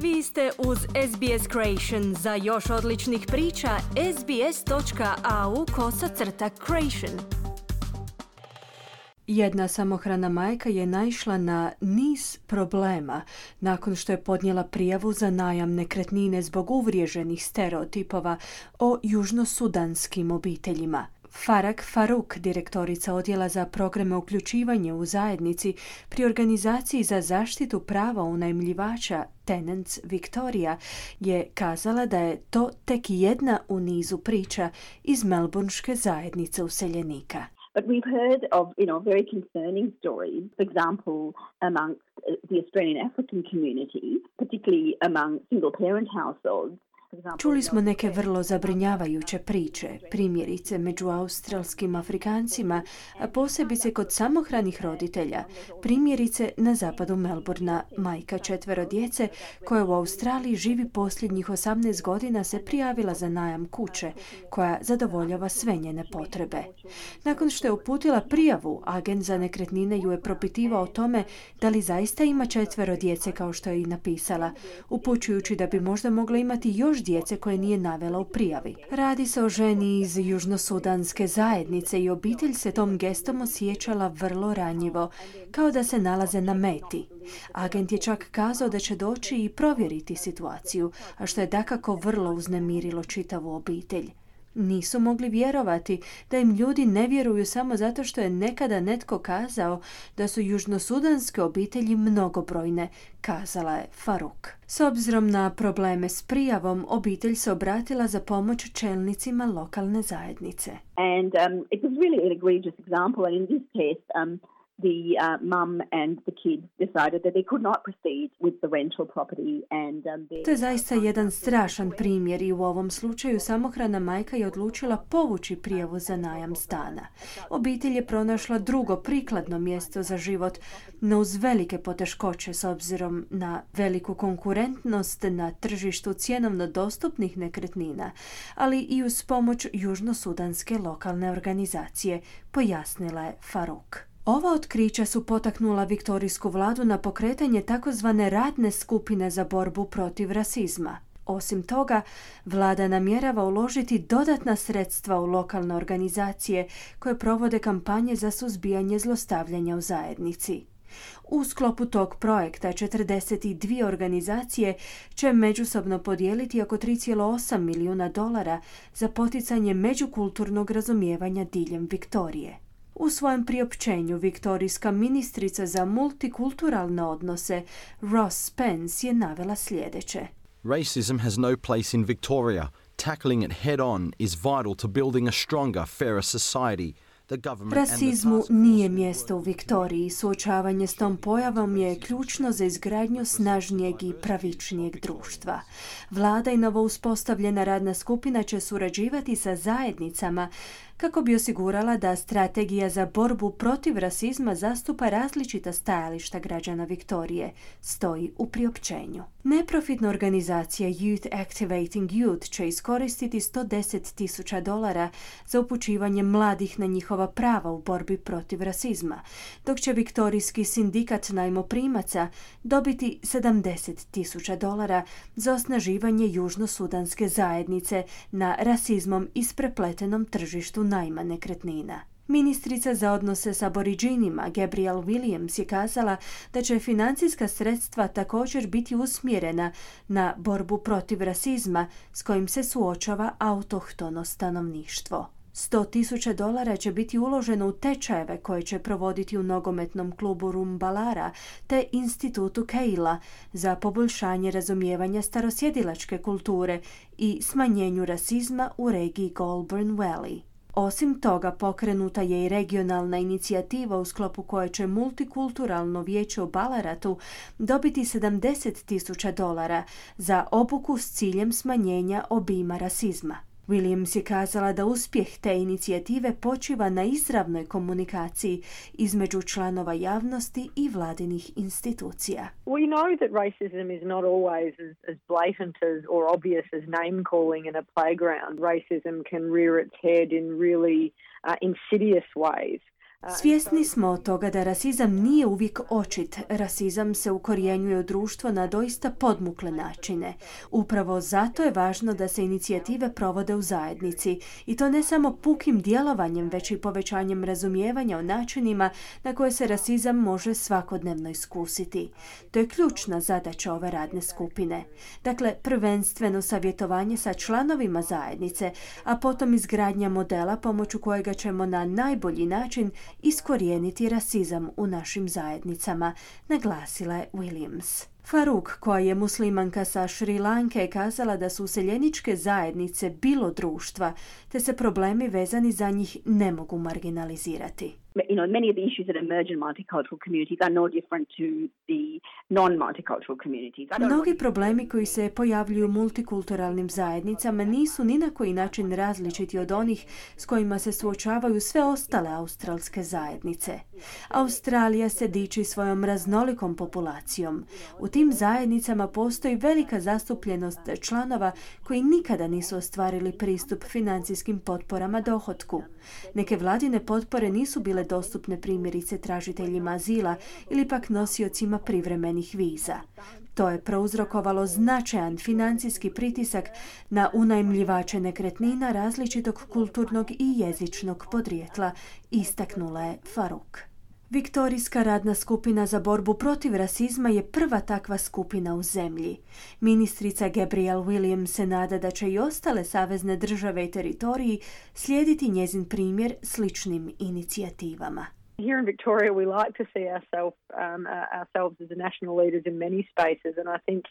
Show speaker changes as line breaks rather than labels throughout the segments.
Vi ste uz SBS Creation. Za još odličnih priča, sbs.au/creation. Jedna samohrana majka je naišla na niz problema nakon što je podnijela prijavu za najam nekretnine zbog uvriježenih stereotipova o južnosudanskim obiteljima. Farag Faruk, direktorica odjela za programe uključivanja u zajednici pri organizaciji za zaštitu prava unajmljivača Tenants Victoria, je kazala da je to tek jedna u nizu priča iz melbourneške zajednice useljenika.
But we've heard of, very concerning stories, for example, amongst the Australian African community, particularly among single-parent households.
Čuli smo neke vrlo zabrinjavajuće priče, primjerice među australskim Afrikancima, a posebice kod samohranih roditelja, primjerice na zapadu Melbourna. Majka 4 djece koja u Australiji živi posljednjih 18 godina se prijavila za najam kuće koja zadovoljava sve njene potrebe. Nakon što je uputila prijavu, agent za nekretnine ju je propitivao o tome da li zaista ima 4 djece kao što je i napisala, upućujući da bi možda mogla imati još djece koje nije navela u prijavi. Radi se o ženi iz južnosudanske zajednice i obitelj se tom gestom osjećala vrlo ranjivo, kao da se nalaze na meti. Agent je čak kazao da će doći i provjeriti situaciju, a što je dakako vrlo uznemirilo čitavu obitelj. Nisu mogli vjerovati da im ljudi ne vjeruju samo zato što je nekada netko kazao da su južnosudanske obitelji mnogobrojne, kazala je Faruk. S obzirom na probleme s prijavom, obitelj se obratila za pomoć čelnicima lokalne zajednice.
And it was really an egregious example, and in this case, the mum and the kids decided that they could not proceed with the rental property and
to je zaista jedan strašan primjer i u ovom slučaju samohrana majka je odlučila povući prijavu za najam stana. Obitelj je pronašla drugo prikladno mjesto za život, no uz velike poteškoće s obzirom na veliku konkurentnost na tržištu cjenovno dostupnih nekretnina, ali i uz pomoć južnosudanske lokalne organizacije, pojasnila je Faruk. Ova otkrića su potaknula viktorijsku vladu na pokretanje takozvane radne skupine za borbu protiv rasizma. Osim toga, vlada namjerava uložiti dodatna sredstva u lokalne organizacije koje provode kampanje za suzbijanje zlostavljanja u zajednici. U sklopu tog projekta 42 organizacije će međusobno podijeliti oko $3,8 milijuna za poticanje međukulturnog razumijevanja diljem Viktorije. U svojem priopćenju viktorijska ministrica za multikulturalne odnose Ross Spence je navela sljedeće.
Racism has no place in Victoria. Tackling it head on is vital to building a stronger, fairer society.
Rasizmu nije mjesto u Viktoriji. Suočavanje s tom pojavom je ključno za izgradnju snažnijeg i pravičnijeg društva. Vlada i novo uspostavljena radna skupina će surađivati sa zajednicama kako bi osigurala da strategija za borbu protiv rasizma zastupa različita stajališta građana Viktorije, stoji u priopćenju. Neprofitna organizacija Youth Activating Youth će iskoristiti $110,000 za upućivanje mladih na njihova prava u borbi protiv rasizma, dok će viktorijski sindikat najmoprimaca dobiti $70,000 za osnaživanje južnosudanske zajednice na rasizmom isprepletenom tržištu najma nekretnina. Ministrica za odnose s Aboriđinima Gabrielle Williams je kazala da će financijska sredstva također biti usmjerena na borbu protiv rasizma s kojim se suočava autohtono stanovništvo. $100,000 će biti uloženo u tečajeve koje će provoditi u nogometnom klubu Rumbalara te institutu Keila za poboljšanje razumijevanja starosjedilačke kulture i smanjenju rasizma u regiji Goulburn Valley. Osim toga, pokrenuta je i regionalna inicijativa u sklopu koje će multikulturalno vijeće u Ballaratu dobiti $70,000 za obuku s ciljem smanjenja obima rasizma. Williams je kazala da uspjeh te inicijative počiva na izravnoj komunikaciji između članova javnosti i vladinih institucija.
We know that racism is not always as blatant or obvious as name calling in a playground. Racism can rear its head in really insidious ways.
Svjesni smo toga da rasizam nije uvijek očit. Rasizam se ukorjenjuje u društvo na doista podmukle načine. Upravo zato je važno da se inicijative provode u zajednici i to ne samo pukim djelovanjem, već i povećanjem razumijevanja o načinima na koje se rasizam može svakodnevno iskusiti. To je ključna zadaća ove radne skupine. Dakle, prvenstveno savjetovanje sa članovima zajednice, a potom izgradnja modela pomoću kojega ćemo na najbolji način iskorijeniti rasizam u našim zajednicama, naglasila je Williams. Faruk, koja je muslimanka sa Šri Lanke, je kazala da su useljeničke zajednice bilo društva, te se problemi vezani za njih ne mogu marginalizirati.
Many of the issues that emerge in multicultural communities are no different to the non-multicultural communities.
Mnogi problemi koji se pojavljuju u multikulturalnim zajednicama nisu ni na koji način različiti od onih s kojima se suočavaju sve ostale australske zajednice. Australija se diči svojom raznolikom populacijom. U tim zajednicama postoji velika zastupljenost članova koji nikada nisu ostvarili pristup financijskim potporama dohotku. Neke vladine potpore nisu bile dostupne primjerice tražiteljima azila ili pak nosiocima privremenih viza. To je prouzrokovalo značajan financijski pritisak na unajmljivače nekretnina različitog kulturnog i jezičnog podrijetla, istaknula je Faruk. Viktorijska radna skupina za borbu protiv rasizma je prva takva skupina u zemlji. Ministrica Gabrielle Williams se nada da će i ostale savezne države i teritoriji slijediti njezin primjer sličnim inicijativama.
Here in Victoria, we like to see ourselves as national leaders in many spaces, and I think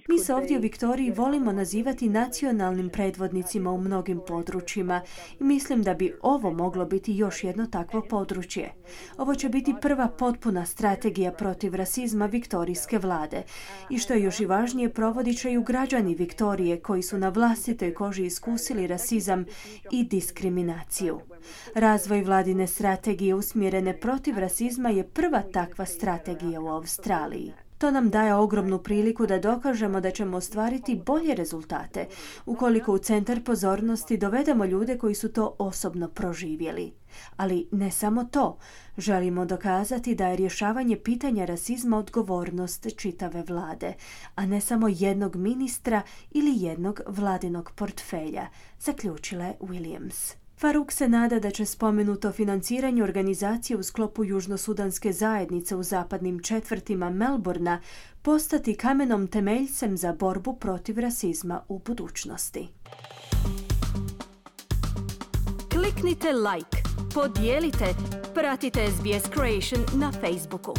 Mi se ovdje u Viktoriji volimo nazivati nacionalnim predvodnicima u mnogim područjima i mislim da bi ovo moglo biti još jedno takvo područje. Ovo će biti prva potpuna strategija protiv rasizma viktorijske vlade i što je još i važnije, provodit će ju građani Viktorije koji su na vlastitoj koži iskusili rasizam i diskriminaciju. Razvoj vladine strategije usmjerene protiv rasizma je prva takva strategija u Australiji. To nam daje ogromnu priliku da dokažemo da ćemo ostvariti bolje rezultate ukoliko u centar pozornosti dovedemo ljude koji su to osobno proživjeli. Ali ne samo to, želimo dokazati da je rješavanje pitanja rasizma odgovornost čitave vlade, a ne samo jednog ministra ili jednog vladinog portfelja, zaključila je Williams. Faruk se nada da će spomenuto financiranje organizacije u sklopu južnosudanske zajednice u zapadnim četvrtima Melbourna postati kamenom temeljcem za borbu protiv rasizma u budućnosti. Kliknite like, podijelite, pratite SBS Creation na Facebooku.